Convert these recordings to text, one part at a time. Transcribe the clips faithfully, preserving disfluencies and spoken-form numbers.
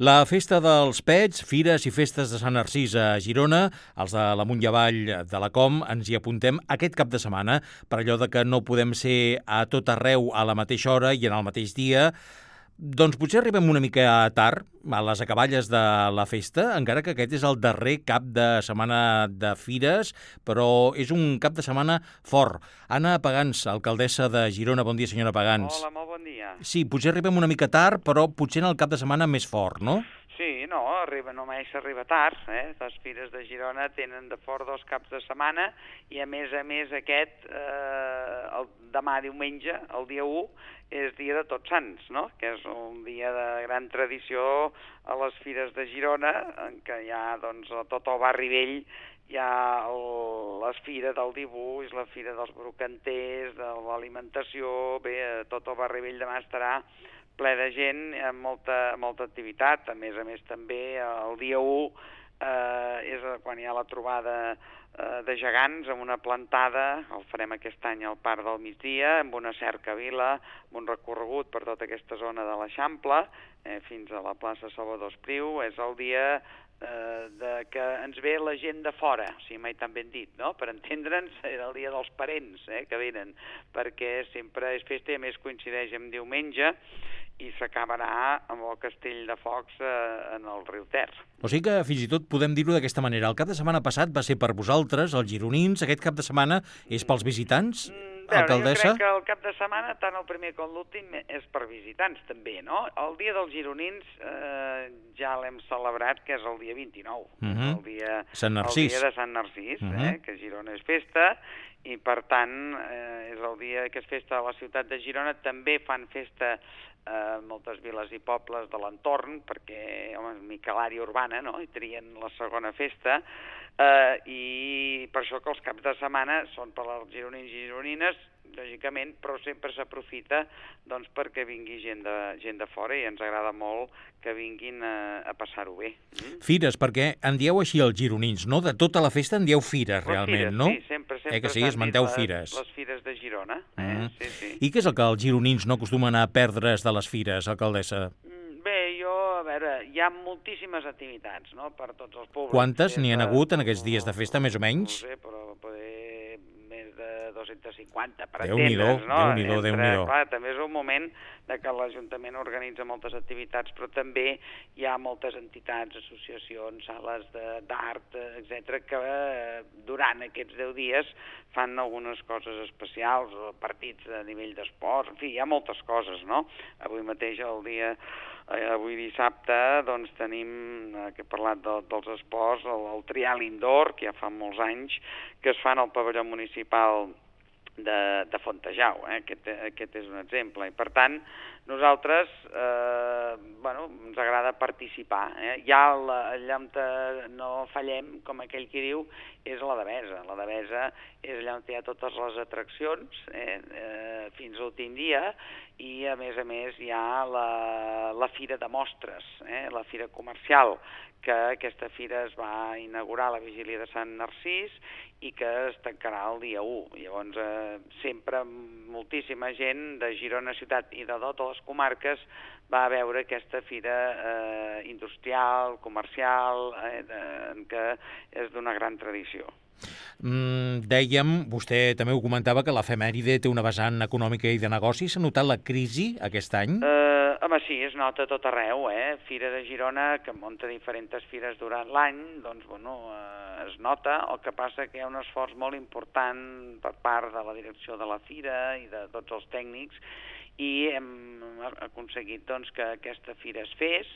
La Festa dels Pets, Fires i Festes de Sant Narcís a Girona, els de la Munt i Avall de la Com, ens hi apuntem aquest cap de setmana, per allò de que no podem ser a tot arreu a la mateixa hora i en el mateix dia. Doncs potser arribem una mica tard a les acaballes de la festa, encara que aquest és el darrer cap de setmana de fires, però és un cap de setmana fort. Anna Pagans, alcaldessa de Girona. Bon dia, senyora Pagans. Hola, molt bon dia. Sí, potser arribem una mica tard, però potser en el cap de setmana més fort, no? Sí, no, arriba, només s'arriba tard, eh? Les fires de Girona tenen de fort dos caps de setmana i a més a més aquest, eh, el, demà diumenge, el dia u, és dia de Tots Sants, no? Que és un dia de gran tradició a les fires de Girona, en què hi ha doncs, a tot el barri vell hi ha el, la fira del dibuix, la fira dels brocanters, de l'alimentació, bé, tot el barri vell demà estarà ple de gent, amb molta, molta activitat. A més a més també el dia u eh, és quan hi ha la trobada eh, de gegants amb una plantada, el farem aquest any al Parc del Migdia, amb una cercavila, amb un recorregut per tota aquesta zona de l'Eixample, eh, fins a la plaça Salvador Espriu. És el dia eh, de que ens ve la gent de fora, o sigui, mai tan ben dit, no? Per entendre'ns, era el dia dels parents eh, que venen, perquè sempre és festa i a més coincideix amb diumenge, i s'acabarà amb el castell de focs eh, en el riu Ter. O sigui que fins i tot podem dir-ho d'aquesta manera. El cap de setmana passat va ser per vosaltres, els gironins. Aquest cap de setmana és pels visitants, mm, veure, alcaldessa? Jo crec que el cap de setmana, tant el primer com l'últim, és per visitants també, no? El dia dels gironins eh, ja l'hem celebrat, que és el dia vint-i-nou, uh -huh. el, dia, Sant Narcís. el dia de Sant Narcís, uh -huh. eh, que Girona és festa, i per tant eh, és el dia que és festa a la ciutat de Girona. També fan festa a eh, moltes viles i pobles de l'entorn, perquè, home, és miquelària urbana, no?, i trien la segona festa, eh, i per això que els caps de setmana són per als gironins i gironines, lògicament, però sempre s'aprofita doncs, perquè vingui gent de, gent de fora, i ens agrada molt que vinguin a, a passar-ho bé. Mm? Fires, perquè en dieu així els gironins, no? De tota la festa en dieu fires, les realment, fires, no? Sí, sempre, sempre eh que sí, es manteu les, fires. les fires de Girona. Eh? Mm. Sí, sí. I què és el que els gironins no acostumen a perdre's de les fires, alcaldessa? Bé, jo, a veure, hi ha moltíssimes activitats, no?, per tots els públics. Quantes n'hi ha de... hagut en aquests dies de festa, més o menys? No sé, però poder més de dos-cents cinquanta, per Déu-n'hi-do, entendre'ns, no? Déu-n'hi-do, Déu-n'hi-do. Clar, també és un moment de que l'Ajuntament organitza moltes activitats, però també hi ha moltes entitats, associacions, sales d'art, etcètera, que eh, durant aquests deu dies fan algunes coses especials, partits a nivell d'esport, en fi, hi ha moltes coses, no? Avui mateix, el dia, eh, avui dissabte, doncs tenim, eh, que he parlat de, dels esports, el, el trial indoor, que ja fa molts anys, que es fan al pavelló municipal de, de Fontejau, eh? aquest, aquest és un exemple, i per tant nosaltres eh, bueno, ens agrada participar, eh? Ja la, allà on no fallem, com aquell qui diu, és la Devesa. La Devesa és allà on hi ha totes les atraccions eh? Eh, fins a l'últim dia, i a més a més hi ha la, la fira de mostres, eh? La fira comercial, que aquesta fira es va inaugurar a la vigília de Sant Narcís i que es tancarà el dia u. Llavors, eh, sempre moltíssima gent de Girona ciutat i de totes les comarques va a veure aquesta fira eh, industrial, comercial, eh, de, que és d'una gran tradició. Mm, dèiem, vostè també ho comentava, que l'efemèride té una vessant econòmica i de negoci. S'ha notat la crisi aquest any? Eh, home, sí, es nota a tot arreu, eh? Fira de Girona, que munta diferents fires durant l'any, doncs, bueno, eh, es nota. El que passa que hi ha un esforç molt important per part de la direcció de la fira i de tots els tècnics, i hem aconseguit doncs, que aquesta fira es fes.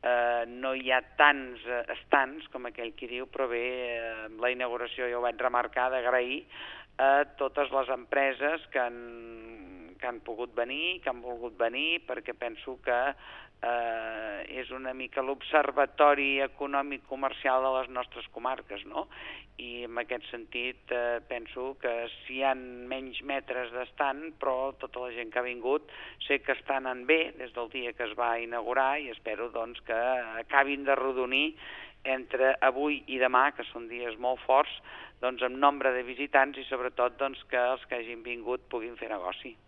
Eh, no hi ha tants eh, estants com aquell qui diu, però bé, eh, la inauguració jo ho vaig remarcar d'agrair a totes les empreses que han, que han pogut venir, que han volgut venir, perquè penso que eh, és una mica l'observatori econòmic comercial de les nostres comarques, no? I en aquest sentit eh, penso que si hi ha menys metres d'estant, però tota la gent que ha vingut sé que està anant bé des del dia que es va inaugurar, i espero doncs que acabin de rodonir entre avui i demà, que són dies molt forts, doncs amb nombre de visitants, i sobretot doncs, que els que hagin vingut puguin fer negoci.